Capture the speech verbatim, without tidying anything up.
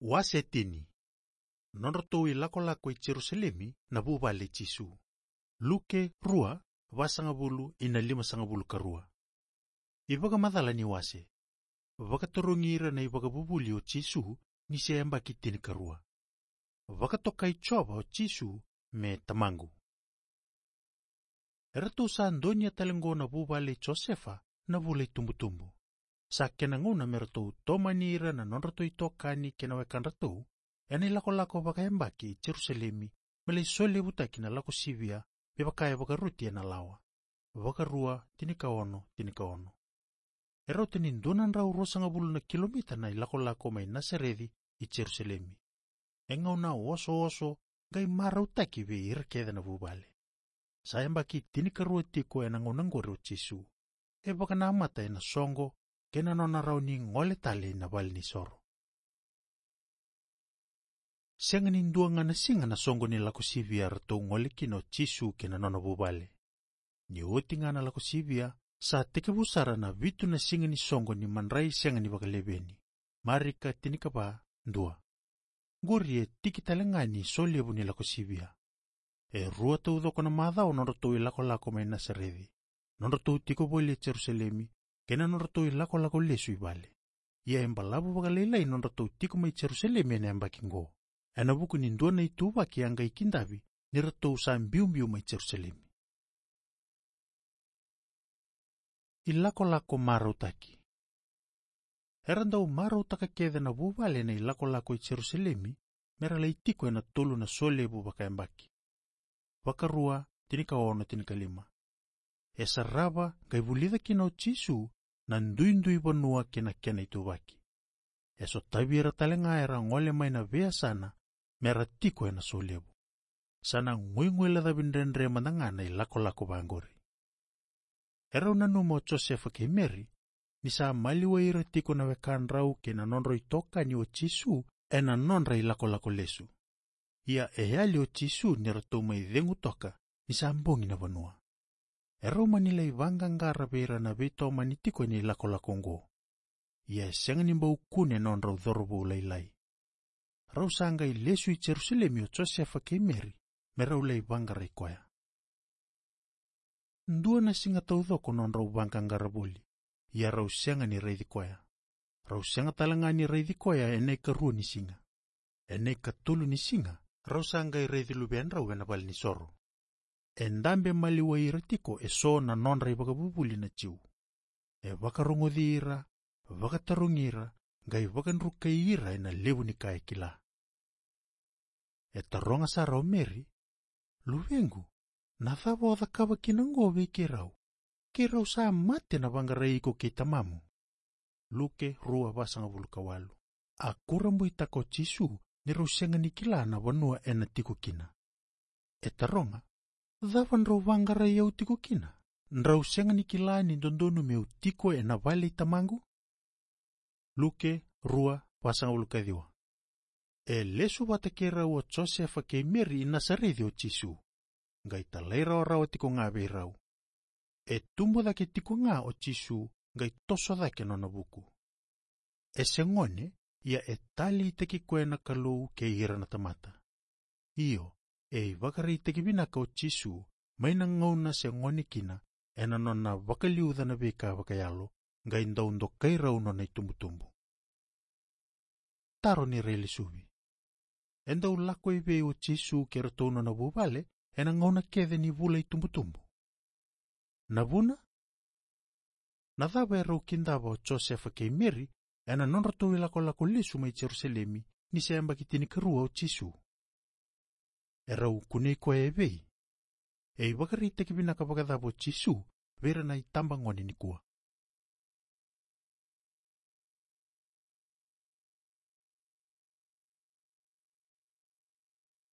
Wase tini. Nodratou ilakolako i Jerusalemi na vuvale i Jisu. Luke rua, vasagavulu ina limasagavulu ka rua. Ivakamacala ni wase. Vakatarogi ira na ivakavuvuli o Jisu ni se yabaki tinikarua. Vakatokai Jiova o Jisu me Tamaqu. Eratou sa donia tale qo na vuvale i Josefa na vula i tubutubu. Sa kena gauna me ratou tomani ira na nodratou itokani kei na wekadratou ena ilakolako vakayabaki i Jerusalemi, me lai solevutaki na lako sivia me vaka e vakaroti ena lawa. Vakarua, tinikaono, tinikaono. E rauta ni dua na drau ruasagavulu na kilomita na ilakolako mai Nasareci i Jerusalemi. E gauna osooso qai marautaki vei ira kece na vuvale. Sa yabaki tinikarua tiko ena gauna qori o Jisu. E vakanamata ena soqo kei na nona rawa ni gole tale ina valenisoro. Sega ni dua ga na siga na soqo ni lako sivia ratou gole kina o Jisu kei na nona vuvale. Ni oti ga na lako sivia, sa tekivu sara na vitu na siga ni soqo ni madrai sega ni vakaleveni. Marika tinikava, dua. Qori e tiki tale ga ni solevu ni lako sivia. E rua taucoko na macawa nodratou ilakolako mai Nasareci, nodratou tiko voli e Jerusalemi, kei na nodratou ilakolako lesu i vale. Ia e balavu vakalailai nodratou tiko mai Jerusalemi ena yabaki qo, ena vuku ni dua na ituvaki a qai kidavi ni ratou sa biubiu mai Jerusalemi. Ilakolako marautaki. Era dau marautaka kece na vuvale na ilakolako i Jerusalemi, mera lai tiko ena tolu na solevu vakayabaki. Vakarua, tinikaono, tinikalima. E sarava qai vulica kina o Jisu na duidui vanua kei na kena ituvaki. E sotavi ira tale ga era gole mai na veiyasana mera tiko ena solevu. Sa na guiguilecavi dredre mada ga na ilakolako vaqori. Erau nanuma o Josefa kei Meri ni sa maliwai ira tiko na wekadrau kei na nodrau itokani o Jisu ena nodra ilakolako lesu. Ia e yali o Jisu ni ratou mai cegu toka ni sa bogi na vanua. Erau mani lai vaqaqara vei ira na veitomani tiko ena ilakolako oqo. Ia e sega ni bau kune nodrau cauravou lailai. Rau sa qai lesu i Jerusalemi o Josefa kei Meri me rau lai vaqarai koya. Dua na siga taucoko nodrau vaqaqara voli, ia rau sega ni raici koya. Rau sega tale ga ni raici koya ena ikarua ni siga. Ena ikatolu ni siga, rau sa qai raici luvedrau ena valenisoro. E dabe maliwai ira tiko eso na nodra ivakavuvuli na Jiu. E vakarogoci ira, vakatarogi ira, qai vakadrukai ira ena levu ni ka e kila. E taroga sara o Meri, "Luvequ, na cava o cakava kina oqo vei keirau? Keirau sa mate na vaqarai iko kei tamamu." Luke rua, vasagavulu ka walu. A kurabuitaka o Jisu ni rau sega ni kila na vanua ena tiko kina. E taroga, "Cava drau vaqarai au tiko kina? Drau sega ni kila ni dodonu meu tiko ena vale i tamaqu?" Luke rua, vasagavulu ka ciwa. E lesu vata kei rau o Josefa kei Meri i Nasareci o Jisu. Qai talairawarawa tiko ga vei rau. E tubu cake tiko ga o Jisu, qai toso cake nona vuku. E se gone, ia e taleitaki koya na Kalou kei ira na tamata. Io, e ivakaraitaki vinaka o Jisu mai na gauna se gone kina, ena nona vakaliuca na veika vakayalo, qai dau dokai rau nona itubutubu. Taro ni railesuvi. E dau lako i vei o Jisu kei ratou nona vuvale ena gauna kece ni vula itubutubu? Na vuna? Na cava erau kidava o Josefa kei Meri ena nodratou ilakolako lesu mai Jerusalemi ni se yabaki tinikarua o Jisu? Erau kunei koya e vei? E ivakaraitaki vinaka vakacava o Jisu vei ira na itabagone nikua?